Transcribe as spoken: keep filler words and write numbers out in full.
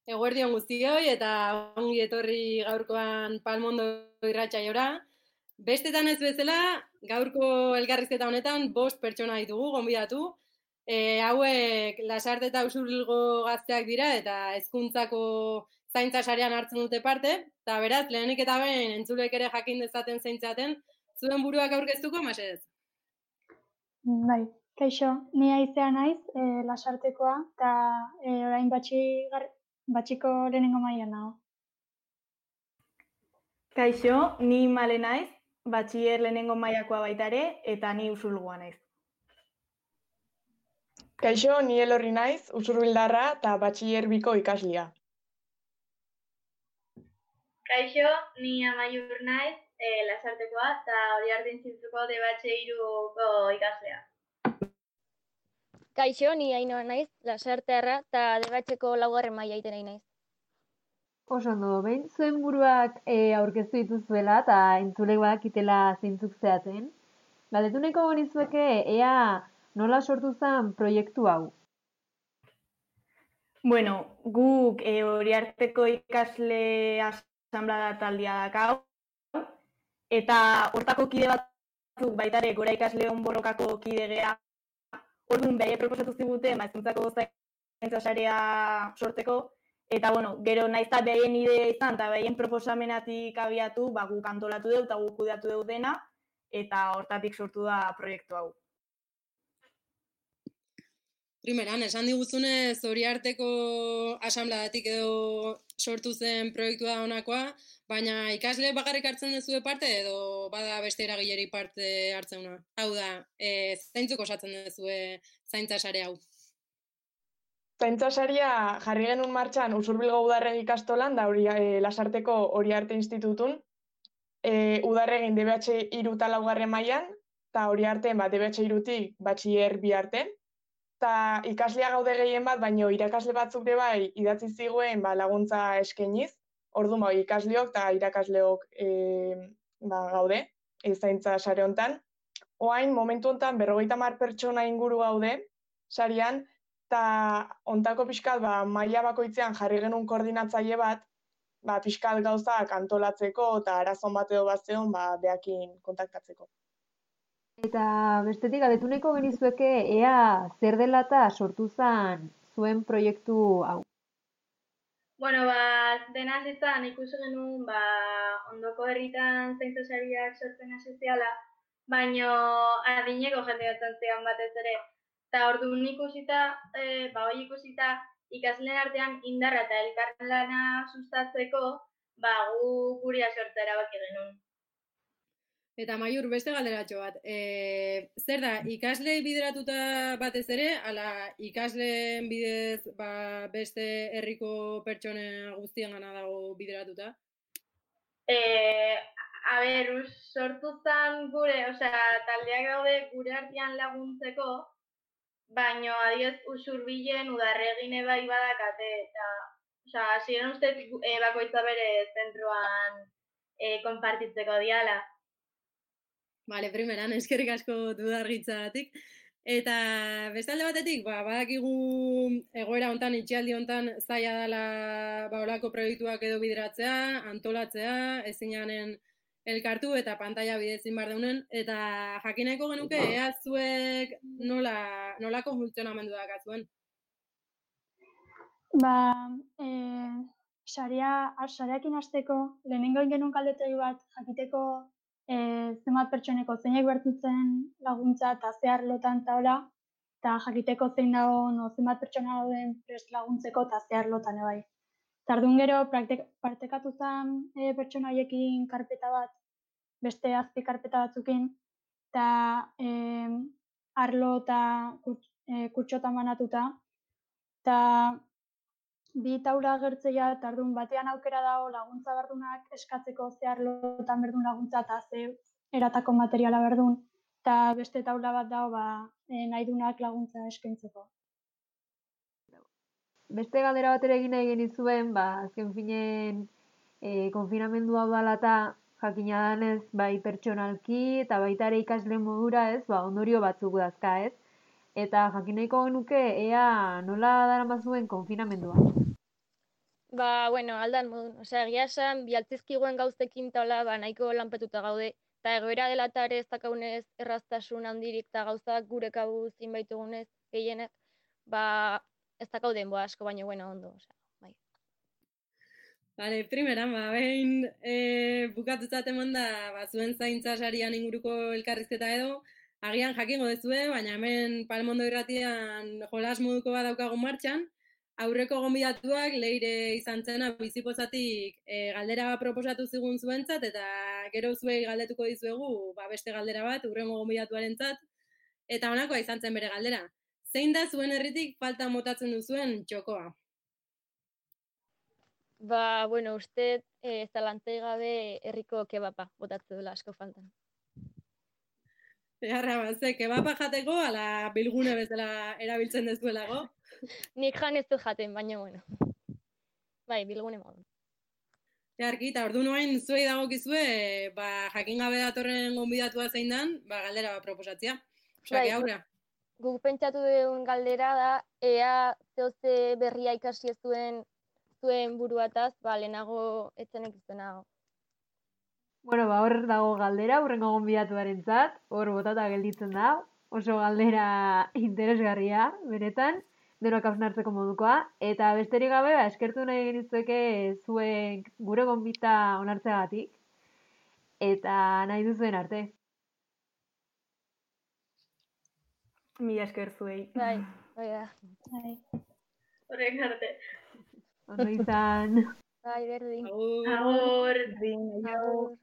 Eguerdi on guztioi eta ongi etorri gaurkoan Palmondo irratsaiora. Bestetan ez bezala, gaurko elkarrizketa honetan bost pertsona ditugu gonbidatu. E, hauek Lasarte eta Usurbilgo gazteak dira eta hezkuntzako zaintza sarean hartzen dute parte. Eta beraz, lehenik eta behin entzulek ere jakin dezaten zeintzaten, zuen buruak aurkeztuko, Masez? Bai, kaixo, ni Aizea naiz, e, Lasartekoa, eta e, orain batxi, gar, batxiko lehenengo mailan nago. Kaixo, ni Male naiz, batxier lehenengo mailakoa baita ere, eta ni Usurbilgoa naiz. Kaixo, ni Elorri naiz, Usurbildarra eta batxier biko ikaslea. Kaixo, ni Amaiur naiz, e, Lasartekoa eta Uriarte Institutuko debatxe hiruko ikaslea. Kaixo, ni Ainhoa naiz, Lasartearra eta debatxeko laugarren maila itenei naiz. Oso ondo, behin zuen buruak e, aurkeztu dituzuela eta entzulek badakitela zeintzuk zehaten. Galdetuneko genizueke ea nola sortu zen proiektu hau? Bueno, guk e, Uriarteko ikasle asanblada taldea dakau, eta hortako kide batzuk baita ere gora ikasleon borrokako kide gea. Orduan behi proposatu ziguten hezkuntzako zaintza sarea sortzeko, eta bueno, gero naiz eta behien idea izan eta behien proposamenatik abiatu, ba, guk antolatu dugu eta guk kudeatu dugu dena, eta hortatik sortu da proiektu hau. Primeran, esan diguzunez Uriarteko asanbladatik edo sortu zen proiektua da honakoa, baina ikasle bakarrik hartzen duzue parte edo bada beste eragileri parte hartzeuna. Hau da, e, zeintzuk osatzen duzue zaintza sare hau? Zaintza saria jarri genuen martxan Usurbilgo Udarregi ikastolan da hori e, Lasarteko Uriarte Institutun. E, Udarregin D B H hiru eta laugarren mailan, eta Uriarten ba, D B H hirutik batxier bi arte. Eta ikaslea gaude gehien bat, baino irakasle batzuk ere bai idatzi ziguen ba, laguntza eskainiz. Orduan ba, ikasleok eta irakasleok e, ba, gaude, e, zaintza sare hontan. Oain, momentu hontan berrogeita hamar pertsona inguru gaude sarian, eta ontako pixkat ba, maila bakoitzean jarri genuen koordinatzaile bat, ba, pixkat gauzak antolatzeko eta arazon bat edo bat zeon ba, behakin kontaktatzeko. Eta bestetik galdetuneko genizueke ea zer dela eta sortu zen zuen proiektu hau? Bueno, ba, dena zizan ikusi genuen ba, ondoko herritan zaintza sariak sortzen hasiziala, baino adineko jende batzantzean batez ere. Eta orduan ikusita, e, ba, hori ikusita ikasleen artean indarra eta elkarlana sustatzeko, ba, gu guria sortzea erabaki genuen. Eta Maiur, beste galderatxo bat. E, zer da, ikaslei bideratuta batez ere, ala ikasleen bidez ba, beste herriko pertsone guztien gana dago bideratuta? E, a ber, sortu zen gure, osea, taldeak daude gure artean laguntzeko, baino adioz Usurbilen Udarregine bai badakate, eta osea, hasieran uste e, bakoitza bere zentroan e, konpartitzeko diala. Bale, primeran, eskerrik asko dudarritzagatik. Eta bestalde batetik, ba, badakigu egoera hontan, itxialdi hontan zaila dela ba, olako proiektuak edo bideratzea, antolatzea, ezinanen elkartu eta pantalla bidezin bar deunen, eta jakineko genuke ea zuek nola, nolako funtzionamendu dakazuen? Ba, e, sarea, sareakin hasteko, lehenengo genuen kaldetegi bat jakiteko e, zenbat pertsoneko zeinek bertutzen laguntza eta zehar lotan eta hola, eta jakiteko zein dago no, zenbat pertsona dauden prest laguntzeko eta zehar lotan ebai. Tardun gero, praktek, partekatu zen e, pertsona haiekin karpeta bat, beste azpi karpeta batzukin, eta e, arlo eta kuts, e, kutxotan banatuta, eta bi taula agertzea, tardun batean aukera dago laguntza berdunak eskatzeko zehar lotan berdun laguntza eta ze eratako materiala berdun, eta beste taula bat dago ba, e, nahi dunak laguntza eskaintzeko. Beste galdera bat ere egin nahi genizuen, ba, azken finen e, konfinamendu hau dela eta jakina danez bai pertsonalki eta baita ere ikasle modura ez, ba, ondorio batzuk dazka ez. Eta jakin nahiko genuke ea nola daramazuen konfinamendua. Ba, bueno, aldan modun. Osea, egia esan, bialtzizkiguen gauzekin taula, ba, nahiko lanpetuta gaude. Eta egoera dela eta ere ez dakaunez erraztasun handirik eta gauzak gure kabuz inbaitugunez gehienek, ba, ez dakau denboa asko, baina bueno, ondo, osea, bai. Vale, primeran, ba, behin e, bukatutzat eman da, ba, zuen zaintza sarian inguruko elkarrizketa edo, agian jakingo dezue, baina hemen Palmondo irratian jolas moduko bat daukagun martxan, aurreko gonbidatuak leire izan zena bizipozatik e, galdera bat proposatu zigun zuentzat, eta gero zuei galdetuko dizuegu ba, beste galdera bat, urrengo gonbidatuarentzat, eta honakoa izan zen bere galdera. Zein da zuen herritik falta motatzen duzuen txokoa? Ba, bueno, uste eh, zalantzai gabe herriko kebapa botatze dela asko faltan. Beharra bat, ze, kebapa jateko, ala bilgune bezala erabiltzen dezuelago. Nik jan ez dut jaten, baina bueno. Bai, bilgune modu. Jarki, eta ordu noain zuei dagokizue, ba, jakin gabe datorren gonbidatua zein dan, ba, galdera bat proposatzea. Osa, Bai, que aurra. Guk pentsatu dugun galdera da, ea zehoze berria ikasi ez zuen zuen buruataz, ba, lehenago etzenek izuenago. Bueno, ba, hor dago galdera, hurrengo gonbidatuarentzat, hor botata gelditzen da, oso galdera interesgarria, benetan, denok hausnartzeko modukoa, eta besterik gabe, ba, eskertu nahi genizueke zuen gure gonbita onartzeagatik, eta nahi duzuen arte. Mila esker zuei. Bai, bai da. Bai. Horrek arte. Ondo izan. Bai, berdin. Agur. Agur. Berdin, aio. Agur.